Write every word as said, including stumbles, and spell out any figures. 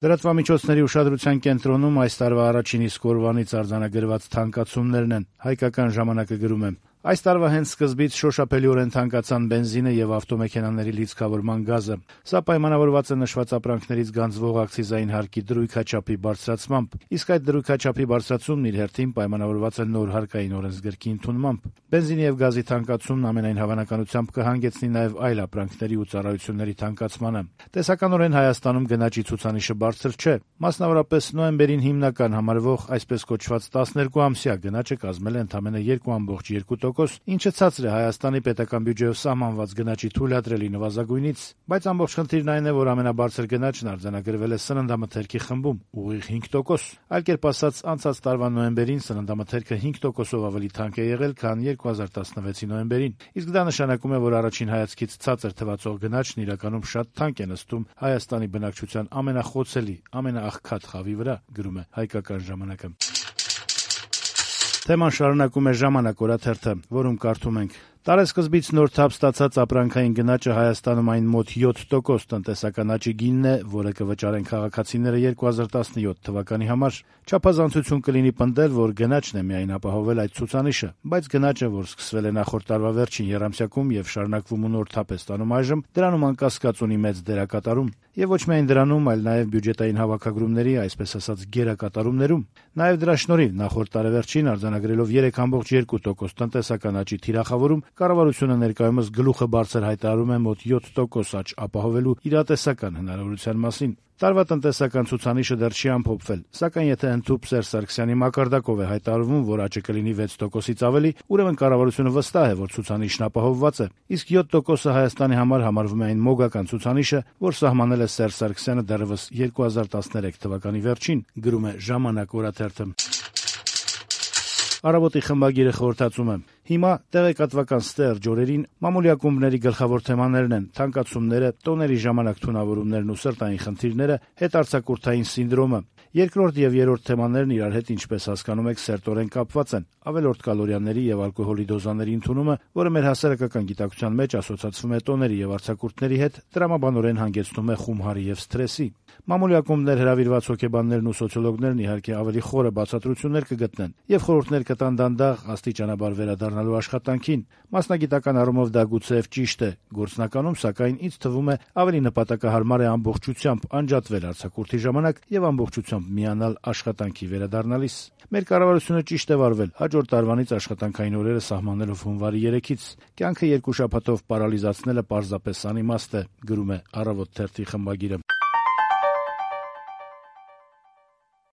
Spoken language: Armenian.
Լրատվամիջոցների ուշադրության կենտրոնում այս տարվա առաջին իսկ օրվանից արձանագրված թանկացումներն են։ Հայկական ժամանակը գրում է. Այս տարվա հենց սկզբից շոշափելիորեն թանկացան բենզինը եւ ավտոմեքենաների լիցքավորման գազը։ Սա պայմանավորված է նշված ապրանքներից գանձվող ակցիզային հարկի դրույքաչափի բարձրացմամբ, իսկ այդ դրույքաչափի բարձրացումն իր հերթին պայմանավորված է նոր հարկային օրենսգրքի ընդունմամբ։ Բենզինի եւ գազի թանկացումն ամենայն հավանականությամբ կհանգեցնի նաեւ այլ ապրանքների ու ծառայությունների թանկացմանը։ Տեսականորեն Հայաստանում գնաճի ցուցանիշը բարձր չէ։ Մասնավորապես նոյեմբերին հիմնական համարվող այսպես կոչված տասներկու ամսյա գնաճը կազմել է ընդամենը երկու կόμma երկու տոկոս, ինչը ցածր է Հայաստանի պետական բյուջեով սահմանված գնաճի թույլատրելի նվազագույնից, բայց ամբողջ խնդիրն այն է, որ ամենաբարձր գնաճն արձանագրվել է սննդամթերքի խմբում՝ ուղիղ հինգ տոկոս։ Այլ կերպ ասած, անցած տարվա նոյեմբերին սննդամթերքը հինգ տոկոսով ավելի թանկ է եղել, քան երկու հազար տասնվեցի նոյեմբերին, իսկ դա նշանակում է, որ առաջին հայացքից ցածր թվացող գնաճն իրականում շատ թանկ է նստում Հայաստանի բնակչության ամենախոցելի, ամենաաղքատ խավի վրա, գրում է Հայկական ժամանակը։ Թեման շարունակում է «Ժամանակ» օրաթերթը, որում կարդում ենք. Տարեսկզբից նոր թափ ստացած ապրանքային գնաճը Հայաստանում այն մոտ յոթ տոկոս տնտեսական աճի գինն է, որը կվճարեն քաղաքացիները երկու հազար տասնյոթ թվականի համար։ Չափազանցություն կլինի պնդել, որ գնաճն է միայն ապահովել այդ ցուցանիշը, բայց գնաճը, որ սկսվել է նախորդ տարվա վերջին եռամսյակում եւ շարունակվում ու նոր թափ է ստանում այժմ, դրանում անկասկած ունի մեծ դերակատարում։ Եվ ոչ միայն դրանում, այլ նաեւ բյուջետային հավաքագրումների, այսպես ասած, գերակատարումներում։ Նաեւ դրա շնորհիվ նախորդ տարեվերջին արձանագրելով երեք կόμma երկու տոկոս տնտեսական աճի թիրախավորում, կառավարությունը ներկայումս գլուխը բարձր հայտարարում է մոտ յոթ տոկոս աճ ապահովելու իրատեսական հնարավորության մասին։ Տարվա տնտեսական ցուցանիշը դեռ չի ամփոփվել, սակայն եթե ընդհուպ Սերժ Սարգսյանի մակարդակով է հայտարարվում, որ աճը կլինի վեց տոկոսից ավելի, ուրեմն կառավարությունը վստահ է, որ ցուցանիշն ապահովված է։ Իսկ յոթ տոկոսը Հայաստանի համար համարվում է այն մոգական ցուցանիշը, որ սահմանել է Սերժ Սարգսյանը դեռևս երկու հազար տասներեք թվականի վերջին, գրում է «Ժամանակ» օրաթերթը։ Առավոտի խմբագիրը խորհրդածում է. Հիմա տեղեկատվական ստերջ օրերին մամուլի ակումբների գլխավոր թեմաներն են թանկացումները, տոների ժամանակ թունավորումներն ու սրտային խնդիրները, հետարձակուրդային սինդրոմը։ Երկրորդ եւ երրորդ թեմաներն իրար հետ, ինչպես հասկանում եք, սերտորեն կապված են։ Ավելորդ կալորիաների եւ ալկոհոլի դոզաների ընդունումը, որը մեր հասարակական գիտակցության մեջ ասոցացվում է տոների եւ արձակուրդների հետ, տրամաբանորեն հանգեցնում է խումհարի եւ սթրեսի։ Մամուլի ակումբներ հրավիրված հոգեբաններն ու սոցիոլոգներն իհարկե ավելի խորը բացատրություններ կգտնեն եւ խորհուրդներ կտան դանդաղ աստիճանաբար վերադառնալու աշխատանքին։ Մասնագիտական առումով դա գուցեև ճիշտ է, գործնականում սակայն ինձ թվում է ավելի նպատակահարմար է ամբողջությամբ անջատվել արձակուրդի ժամանակ եւ ամբողջությամբ միանալ աշխատանքի վերադառնալիս։ Մեր կառավարությունը ճիշտ է վարվել, հաջորդ տարվանից աշխատանքային օրերը սահմանելով հունվարի երեքից։ Կյանքը երկու շաբաթով պարալիզացնելը պարզապես անիմաստ է, գրում է «Առավոտ» թերթի խմբագիրը։